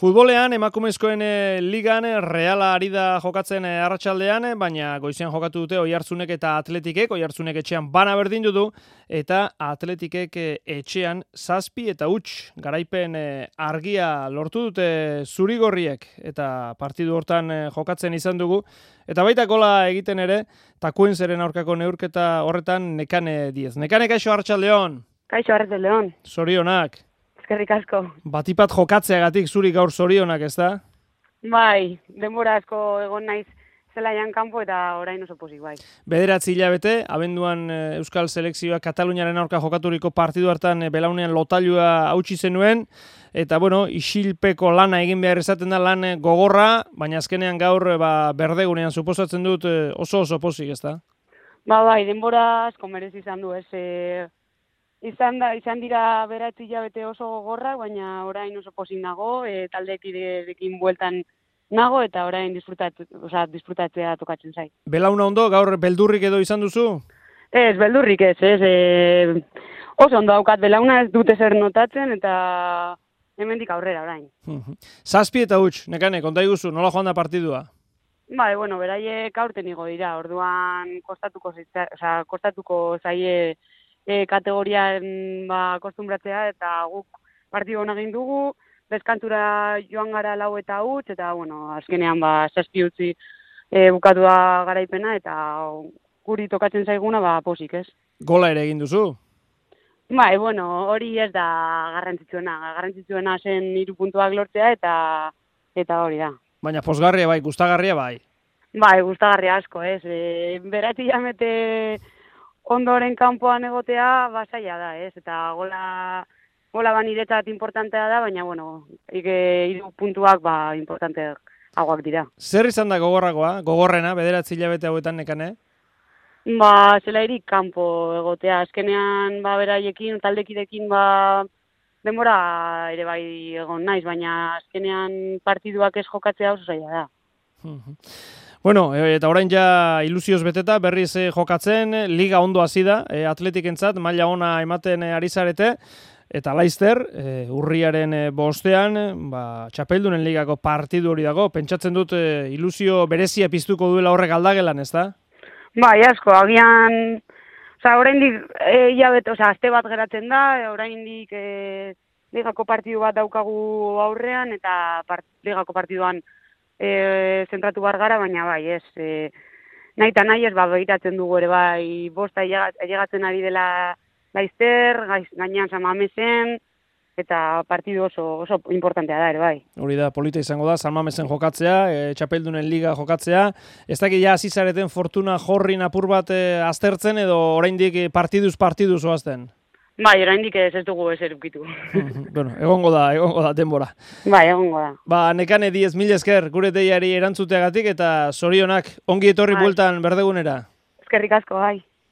Futbolean, emakumezkoen ligan, Reala ari da jokatzen arratsaldean, baina goizean jokatu dute Oiartzunek eta Atletikek, Oiartzunek etxean bana berdindu du, eta Atletikek etxean 7 eta 0 garaipen argia lortu dute zurigorriek, eta partidu hortan jokatzen izan dugu, eta baita gola egiten ere, Takuenzeren aurkako neurketa horretan Nekane Diez. Nekane, kaixo arratsaldeon. Kaixo arratsaldeon. Zorionak. Eskerrik asko. Batipat jokatzeagatik zuri gaur zorionak, ez da? Bai, denbora asko egon naiz zelaian kanpo eta orain oso pozik, bai. 9 hilabete, abenduan Euskal Selekzioa Kataluniaren aurka jokaturiko partidu hartan belaunean lotailua hautsi zenuen, eta bueno, isilpeko lana egin behar esaten da, lan gogorra, baina azkenean gaur berdegunean suposatzen dut oso pozik, ez da? Bai, denbora asko merezi izan du, ez. Izan dira 9 hilabete oso gogorrak, baina orain oso pozik nago, taldekideekin bueltan nago eta orain disfrutatzea tokatzen zait. Belauna ondo, gaur beldurrik edo izan duzu? Ez, beldurrik ez. Oso ondo daukat belauna, ez dute zer notatzen eta hemendik aurrera orain. 7 eta 0, Nekane, konta iguzu, nola joan da partidua? Bai, bueno, beraiek aurten igo dira, orduan kostatuko zaie kategorian kostumbratzea eta guk partidu hona egin dugu, deskantura joan gara 4 eta 0, eta bueno, azkenean 7 utzi bukatu da garaipena eta guri tokatzen zaiguna posik, ez? Gola ere egin duzu? Bai, bueno, hori ez da garrantzitsuena zen 3 puntuak lortzea eta hori da. Baina pozgarria bai, gustagarria bai? Bai, gustagarria asko, ez? 9 hilabete ondoren kanpoan egotea zaila da, ez? Eta gola niretzat importantea da, baina, bueno, 3 puntuak importanteak hauak dira. Zer izan da gogorrena, 9 hilabete hauetan, Nekane? Zelairik kanpo egotea, azkenean beraiekin, taldekidekin denbora ere bai egon naiz, baina azkenean partiduak ez jokatzea oso zaila da. Bueno, eta orain ja ilusioz beteta, berriz jokatzen, liga ondo hasi da, Atletikentzat, maila ona ematen ari zarete, eta laizter, urriaren 5ean, txapeldunen ligako partidu hori dago, pentsatzen dut ilusio berezia piztuko duela horrek aldagelan, ez da? Bai, asko, agian, oraindik aste bat geratzen da, oraindik ligako partidu bat daukagu aurrean, eta ligako partiduan zentratu bar gara, baina bai, ez, nahi eta nahi ez, begiratzen dugu ere bai, 5 ailegatzen ari dela laizter, gainean San Mamesen, eta partidu oso importantea da ere bai. Hori da, polita izango da, San Mamesen jokatzea, txapeldunen liga jokatzea, ez dakit ja hasi zareten fortuna jorrin apur bat aztertzen, edo oraindik partiduz oazten? Bai, oraindik ez dugu ezer ukitu. Bueno, egongo da denbora. Bai, egongo da. Nekane Diez, mil esker, gure deiari erantzuteagatik, eta zorionak ongi etorri bueltan berdegunera. Eskerrik asko, bai.